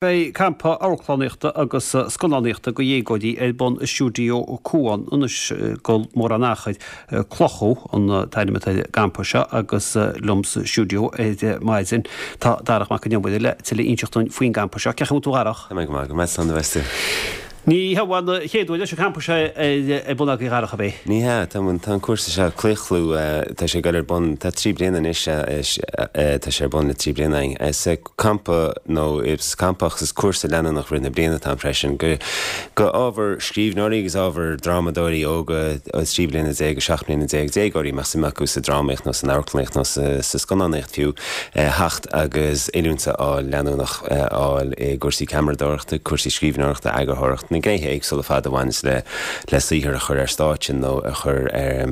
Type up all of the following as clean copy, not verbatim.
Beidh campa amharclannaíochta agus scannánaíochta do dhéagóirí ar bun i Stiúideo Cuan anois ag dul mórán achair. Clochú an t-ainm atá ar an gcampa seo agus liom sa stiúideo ar maidin tá Darach Mac Con Iomaire le tuilleadh a inseacht dúinn faoin gcampa seo. Cén chaoi a bhfuil tú a Dharach? Tá mé go maith, go maith, slán a bheas tú. Ní hé an chéad uair leis an champa seo ar bun agaibh a Dharach, ab é? Ní hea, tá an cúrsa seo, Claochlú, tá sé ag dul ar bun, tá 3 bliana anois, tá sé ar bun le 3 bliana againn. Is campa nó is campa agus is cúrsa leanúnach rith na bliana atá ann freisin go go ábhar scríbhneoirí agus ábhar drámadóirí óga 13 bliana go 17 mbliana déagóirí, mbeadh suim acu sa drámaíocht nó san amharclannaíocht nó sa scannánaíocht fiú, theacht agus oiliúint a fháil leanúnach a fháil i gcúrsaí ceamaradóireachta, cúrsaí scríbhneoireachta, eagarthóireachta, na gnéithe éagsúla ar fad a bhaineas le le saothar a chur ar stáitse nó a chur ar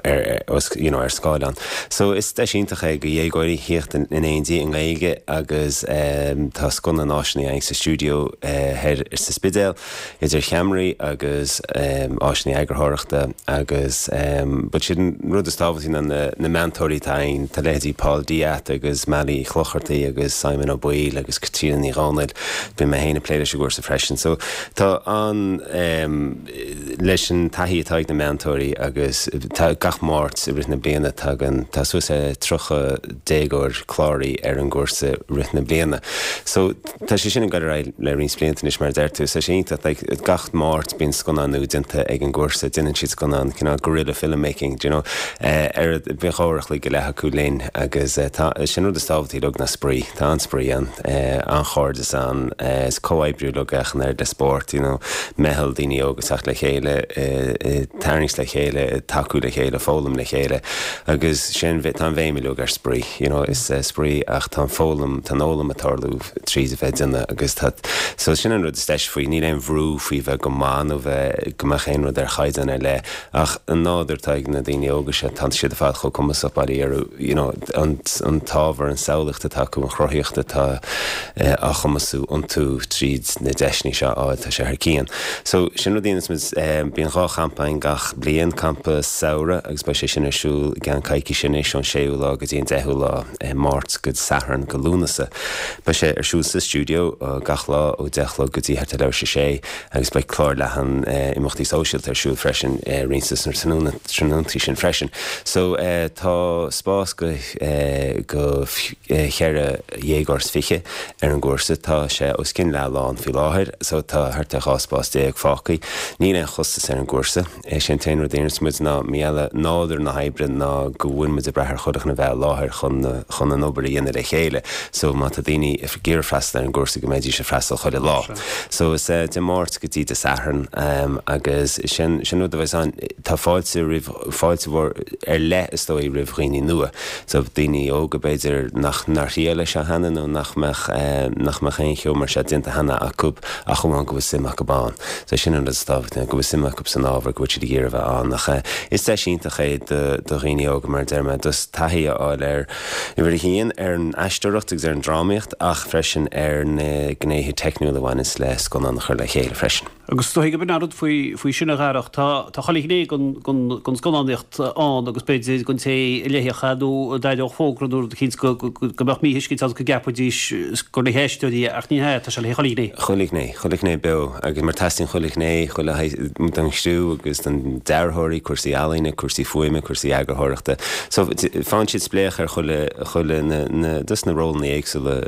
ar you know ar scáileán. So is deis iontach é go dhéagóirí thíocht in éindí i nGaeilge agus tá scoth na n-áiseanna againn sa stiúideo thoir sa Spidéal. idir cheamaraí agus áiseanna eagarthóireachta agus but siad an rud is tábhachtaí ná na meantóirí atá againn, tá leithéidí Paul De'Ath agus Molly Uí Chlochartaigh agus Simon Ó Baoill agus Caitríona Ní Dhomhnaill, bíonn mé féin ag plé leis an gcúrsa freisin. So tá an leis an taithí atá ag na meantóirí agus tá gach Máirt i rith na bliana tagann, tá suas le 30 déagóir cláraithe ar an gcúrsa rith na bliana. So tá sé sin ag dul ar aghaidh le roinnt blianta anois mar a deir tú. So tá sé iontach, like gach Máirt bíonn scannán nua déanta ag an gcúrsa, déanann siad scannán cineál guerrilla filmmaking, do you know, ar bíonn dhá uair a chloig go leith acu linn agus tá, sin rud is tábhachtaí uilig ná spraoi, tá an-spraoi ann, an-chairdeas ann, is comhoibriú uilig ach an oiread le spórt, you know, meitheal daoine óga ag teacht le chéile, ag tarraingt le chéile, ag tacú le chéile, foghlaim le chéile. Agus sin, tá an bhéim uilig ar spraoi, you know, is spraoi ach tá an foghlaim, tá an fhoghlaim ag tarlú tríd a bheith ag déanamh agus tá, so sin an rud is deise faoi, níl aon bhrú faoi bheith go maith nó bheith, go mbeadh aon rud ar chaighdeán ar leith ach an nádúr atá ag na daoine óga seo, tá siad ar fad chomh cumasach, bail ó Dhia orthu, you know, an, an t-ábhar, an samhlaíocht atá acu, an chruthaíocht atá á chumasú iontu tríd na deiseanna seo a fháil, tá sé thar cionn. So, sin rud a dhéanas muid, bíonn dhá champa againn gach bliain, campa samhraidh agus beidh sé sin ar siúl i gceann coicíse anois, ón séú lá go dtí an deichiú lá, Máirt go Satharn go Lúnasa. Beidh sé ar siúl sa stiúideo gach lá ó 10 a chlog go dtí thart ar leathuair tar éis a sé agus beidh clár leathan imeachtaí sóisialta ar siúl freisin roinnt de sna tráthnóntaí sin freisin. So, tá spás go go cheithre dhéagóir is fiche ar an gcúrsa. Tá sé os cionn leath lán faoi láthair so tá thart ar 12 spás fágtha. Níl aon chostas ar an gcúrsa. Is é an t-aon rud a iarranns muid ná mar gheall ar nádúr na hoibre ná go bhfuil muid ag brath ar chuile dhuine a bheith i láthair chun chun an obair a dhéanamh le chéile so má tá daoine ag iarraidh freastal ar an gcúrsa go mbeidís ag freastal chuile lá. So is Dé Máirt go dtí Dé Sathairn agus sin sin rud a bheas ann. Tá fáilte roimh fáilte mhór ar leith is dóigh roimh dhaoine nua. So daoine óga b'fhéidir nach nár thriail é seo cheana nó nach mbeadh nach mbeadh aon cheo mar seo déanta cheana acu ach amháin go bhfuil suim acu ann. So sin an rud is tábhachtaí, go bhfuil suim acu san ábhar, go bhfuil siad ag iarraidh a bheith ann. Ach is deis iontach é do do dhaoine óga mar a deir mé, just taithí a fháil ar, uimhir a haon, ar an aisteoireacht agus ar an drámaíocht ach freisin ar na gnéithe teicniúla a bhaineas le scannán a chur le chéile freisin. Agus is dóigh gurb in an rud faoi, faoi sin a Dharach, tá, tá chuile ghné den, den, den scannánaíocht ann agus b'fhéidir don té a léifeadh é nó a d'aireodh fógra nó rud eicínt go, go, go mbeadh míthuiscint ann go gceapfaidís gur le haisteoirí é ach ní hea, tá sé le chuile ghné. Chuile ghné, chuile ghné beo agus mar teastaíonn chuile ghné, chuile don chriú agus don dearthóirí, cúrsaí ealaíne, cúrsaí fuaime, cúrsaí eagarthóireachta. So faigheann siad spléach ar chuile, chuile na, na, dos na rólanna éagsúla,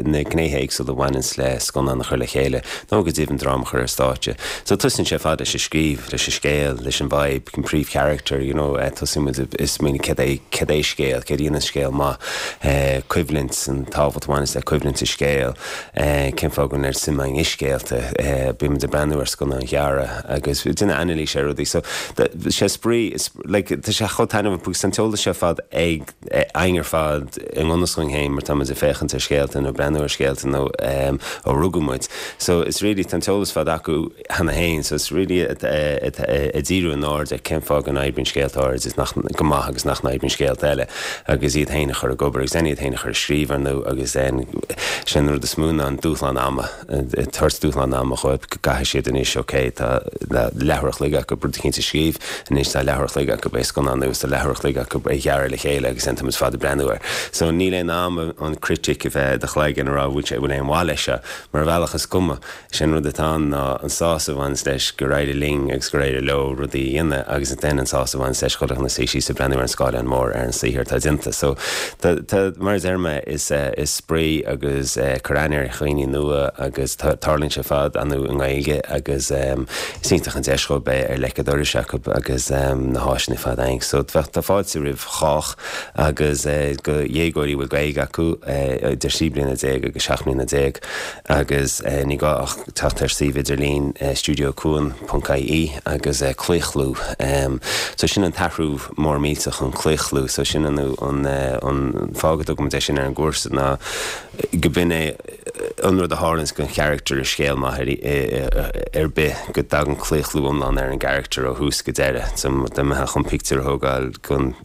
na gnéithe éagsúla a bhaineanns le scannán a chur le chéile. nó go deimhin dráma a chur ar stáitse. So tosaíonn sé ar fad leis an scríobh, leis an scéal, leis an vibe, an príomhcharacter, you know, tosaíonn muid ag smaoineamh céard é, céard é scéal, céard a dhéanann scéal maith, coimhlint, an tábhacht a bhaineas le coimhlint i scéal, cén fáth go bhfuil an oiread suim againn i scéalta, bíonn muid ag breathnú ar scannáin ghearra agus ag déanamh anailís ar rudaí. So sé spraoi, like, tá sé chomh taitneamhach because tá an t-eolas seo ar fad ag, againn ar fad i ngan fhios dhúinn féin mar tá muid ag féachaint ar scéalta nó ag breathnú ar scéalta nó ó rugadh muid. So it's really, tá an t-eolas ar fad acu cheana féin so it's really ag díriú a n-aird ar cén fáth go n-oibríonn scéalta áirid is nach, go maith agus nach n-oibríonn scéalta eile agus iad féin a chur ag obair agus then iad féin a chur ag scríobh ar ndóigh agus then sin an rud is mó ná an dúshlán ama, ag tabhairt dúshlán ama. ama dhóibh, go gcaithfidh siad anois, ok, tá leathuair a chloig acu rud eicínt a scríobh, anois tá leathuair a chloig acu é a scannánú is tá leathuair a chloig acu é a ghearradh le chéile agus ansin táimid fad ag breathnú air. So níl aon am an critic a bheith i do chloigeann a rá bhfuil sé, bhfuil aon mhaith leis seo, mar ar bhealach is cuma. Is é an rud atá ann ná an sásamh a bhaineas leis gur éirigh linn agus gur éirigh leo rudaí a dhéanamh agus then an sásamh a bhaineas leis chuile dhuine suí síos ag breathnú ar an scáileán mór ar an saothar atá déanta. So tá, tá, mar a deir mé, is, is spraoi agus cur aithne ar dhaoine nua agus tá, tarlaíonn sé ar fad ar ndóigh i nGaeilge agus is iontach an deis dhóibh bheith ar leic an dorais acu agus na háiseanna ar fad againn. So bheadh, tá fáilte roimh chách agus do dhéagóirí a bhfuil Gaeilge acu idir 13 bliana agus 17 mbliana. Agus ní gá ach teacht ar suíomh idirlín studiocuan ponc ie agus claochlú. So sin an t-athrú mór millteach, an claochlú. So sin an an fáth go dtugaimid é sin ar an gcúrsa ná go b'in é an rud a tharlaíonns don charachtar i scéal maith ar bith, go dtagann claochlú iomlán ar an gcarachtar ó thús go deireadh. So dá mbeifeá chun pictiúr a thógáil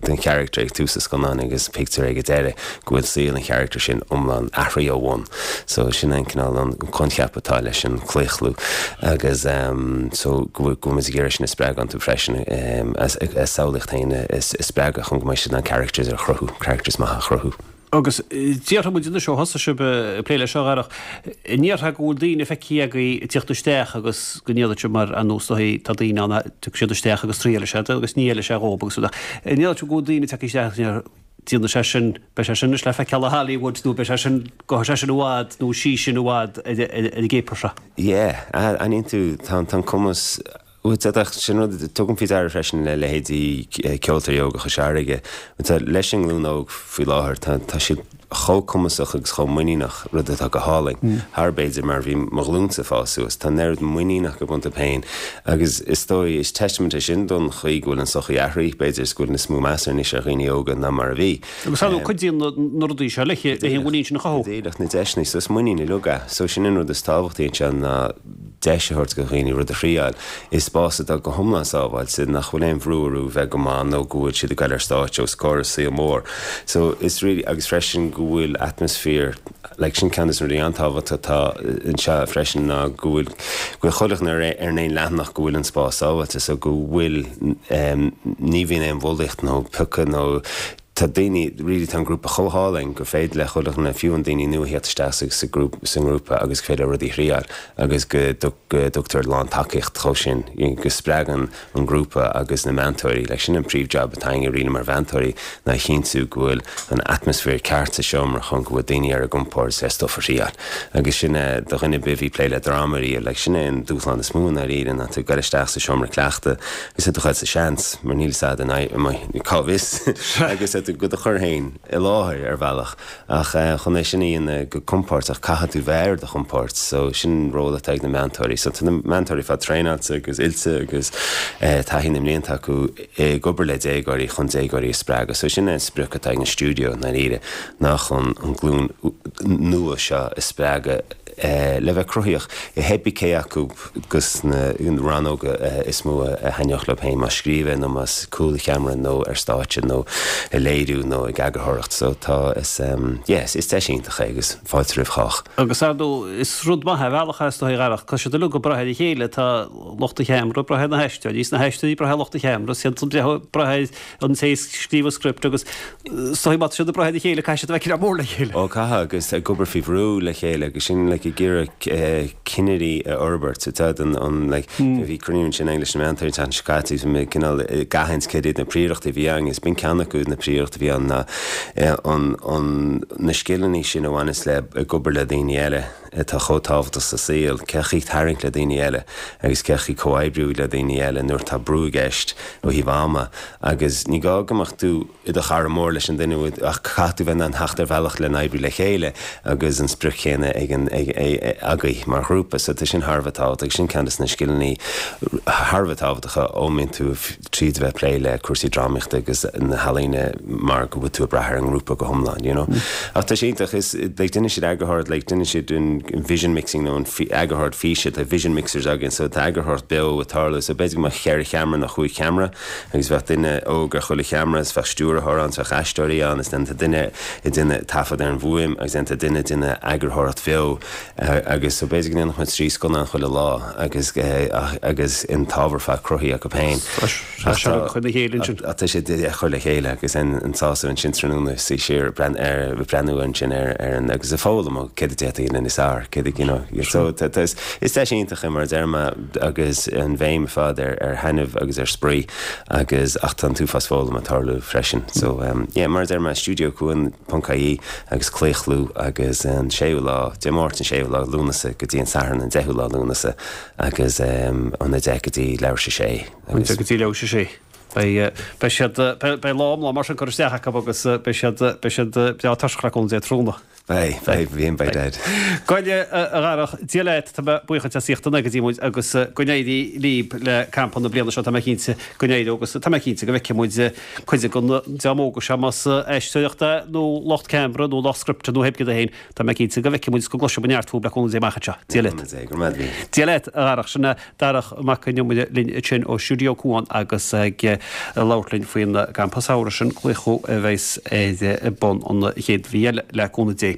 den charachtar ag tús an scannáin agus pictiúr ag an deireadh, go bhfuil saol an charachtair sin iomlán athraithe ó bhun. So sin an cineál an coincheap atá leis an claochlú agus so go bhfuil go bhfuil muid ag iarraidh sin a spreagadh iontu freisin a samhlaíocht féin a spreagadh chun go mbeidh siad in ann characters a chruthú, characters maithe a chruthú. Agus déarfaidh muid anois ó thosaigh sibh ag plé leis seo, a Dharach, an ndéarfá go bhfuil daoine feicthe agaibh ag tíocht isteach agus go ndéarfadh sibh mar ar nós tá daoine ann a dtiocfaidh siad isteach agus triailfidh siad agus ní fheilfidh sé dhóibh agus rud ach an ndéarfadh sibh go bhfuil daoine ag teacht isteach agus déarfadh Déanfaidh sé sin, beidh sé sin anois le feiceáil i Hollywood nó beidh sé sin, gabhfaidh sé sin i bhfad nó sí sin i bhfad ar an gcéapar seo. Yeah, aithníonn tú, tá an cumas, bhuel, d'fhéadfadh, sin rud, tugaim faoi deara freisin le leithéidí Ceoltóirí Óga Chois Fharraige, tá, leis an nglúin óg faoi láthair, tá, tá siad chomh cumasach agus chomh muiníneach, rud atá go hálainn, thar b'fhéidir mar a bhí mo ghlúinsa ag fás suas. Tá an oiread muinín acu iontu féin agus is dóigh, is testament é sin don chaoi go bhfuil an sochaí athraithe, b'fhéidir, is go bhfuil níos mó meas anois ar dhaoine óga ná mar a bhí. Agus ar ndóigh cuidíonn na rudaí seo le an mhuinín sin a chothú. Go díreach, na deiseanna, so is muinín uilig é. So sin an rud is tábhachtaí anseo ná deis a thabhairt do dhaoine rud a thriáil i spás atá go hiomlán sábháilte, nach bhfuil aon bhrú orthu bheith go maith nó go bhfuil siad ag goil ar stáitse os comhair an saol mór. So is really, agus freisin go bhfuil atmaisféar, like sin ceann de na rudaí an-tábhachtach atá anseo freisin ná go bhfuil, go bhfuil chuile dhuine ar ar an aon leathanach go bhfuil an spás sábháilte so go bhfuil, ní bhíonn aon bhulaíocht nó piocadh nó Tá daoine, really tá an grúpa chomh hálainn gur féidir le chuile dhuine, fiú an daoine nua theacht isteach sa sa grúp sa ngrúpa agus gur féidir leo rudaí a thriáil agus go go dtugtar lán tacaíocht dhó sin, go spreagann an grúpa agus na meantóirí, like sin an príomh job atá againne really mar mheantóirí ná a chinntiú go bhfuil an atmaisféar ceart sa seomra chun go bhfuil daoine ar a gcompord le stuff a thriáil agus sin é do dhuine ar bith a bhí ag plé le dráma riamh, like sin é an dúshlán is mó i ndáiríre ná tú ag goil isteach sa seomra cleachta Agus tú ag goil sa seans, mar níl fhios a'd an éireoidh, cá bhfios, agus tú do chur féin i láthair ar bhealach. Ach chun é sin a dhéanamh go compordach, caithfidh tú bheith ar do chompord. So sin an ról atá ag na meantóirí. So tá na meantóirí ar fad traenáilte agus oilte agus taithí na mblianta acu ag obair le déagóirí chun déagóirí a spreagadh. So sin é an sprioc atá ag an stiúideo i ndáiríre, ná chun an glúin nua seo a spreagadh le bheith cruthaíoch i pé cé acu dos na rannóga is mó a thaitneodh leo féin, más scríobh é nó más cúl an cheamara nó ar stáitse nó ag léiriú nó ag eagarthóireacht. So tá, is, yeah, is deis iontach é agus fáilte roimh chách. Agus ar ndóigh, is rud maith é ar bhealach is dóigh, a Dharach, tá siad uilig ag brath ar a chéile, tá lucht an cheamara ag brath ar na haisteoirí, is na haisteoirí ag brath ar lucht an cheamara, is iad ag brath ar an té a scríobh an script agus is dóigh má tá siad ag brath ar a chéile caithfidh siad a bheith cineál mór le chéile. Ó caithfidh agus ag obair faoi bhrú le chéile agus sin like ag iarraidh cinnirí a fhorbairt tá an an like bhí cruinniú ansin againn leis na meantóirí an tseachtain seo caite agus bhí mé cineál ag aithint céard iad na príorachtaí a bhí againn is b'in ceann acu na príorachtaí a bhí ann ná an an na scileanna sin a bhaineas le ag obair le daoine eile atá chomh tábhachtach sa saol, cén chaoi tarraingt le daoine eile agus cén chaoi comhoibriú le daoine eile nuair atá brú i gceist ó thaobh ama agus ní gá go mbeadh tú i do chara mór leis an duine ach caithfidh tú bheith in ann theacht ar bhealach le n-oibriú le chéile agus an sprioc chéanna ag an agaibh mar ghrúpa. So tá sin thar a bheith tábhachtach agus sin ceann de na scileanna thar a bheith tábhachtacha ó mbíonn tú tríd a bheith ag plé le cúrsaí drámaíochta agus na healaíona mar go bhfuil tú ag brath ar an ngrúpa go hiomlán, you know. Ach tá sé iontach, is, like, déanann siad eagarthóireacht, like, déanann siad an vision mixing nó an eagarthóireacht físe, tá vision mixers againn, so tá eagarthóireacht beo ag tarlú, so b'fhéidir go mbeadh cheithre cheamara nó chúig cheamara agus bheadh duine óg ar chuile cheamara is bheadh stiúrthóir ann is bheadh aisteoirí ann is then tá duine ag déanamh taifead ar an bhfuaim agus then tá duine ag déanamh eagarthóireacht bheo. Agus so b'fhéidir go ndéanfadh muid 3 scannán chuile lá agus agus an t-ábhar fad cruthaithe acu féin. Tá sé ag cur le chéile ansin. Tá sé ag cur le chéile agus an sásamh ansin tráthnóna suí siar ag breathnú ansin ar ar an agus ag foghlaim ó céard a d'fhéadfaí a dhéanamh níos fearr, céard a you know so tá is is deis iontach é mar a deir mé agus an bhéim ar fad ar ar thaitneamh agus ar spraoi agus ach tá an t-uafás foghlama ag tarlú freisin. So yeah mar a deir mé Stiúideo Cuan. Ponc IE agus Claochlú agus an séú lá, Dé Máirt an séú lá Lúnasa go dtí an Satharn an deichiú lá Lúnasa agus ón 10 go dtí leathuair tar éis a sé agus. 10 go dtí leathuair tar éis a sé. Beidh, beidh siad, beidh lá iomlán mar sin curtha isteach acu agus beidh siad, beidh siad breá tuirseach le cúnamh Dé tráthnóna. Beidh, beidh, bhí an beidh dead. Bhuel a Dharach, Dia leat, tá mé buíoch duit as ucht a bheith go dtí muid agus go n-éirí libh le campa na bliana seo, tá mé cinnte go n-éireoidh agus tá mé cinnte go bhfeicfidh muid cuid de na dream óga seo, más aisteoireacht é nó lucht ceamara nó lucht scripte nó pé céard é féin, tá mé cinnte go bhfeicfidh muid is go gcloisfidh muid neart fúib le cúnamh Dé amach anseo. Dia leat. Go raibh maith agat. Dia leat, a Dharach. Sin é Darach Mac Con Iomaire linn ansin ó Stiúideo Cuan agus ag labhairt linn faoin gcampa samhraidh sin, Claochlú, a bheas ar bun an chéad mhí eile le cúnamh Dé.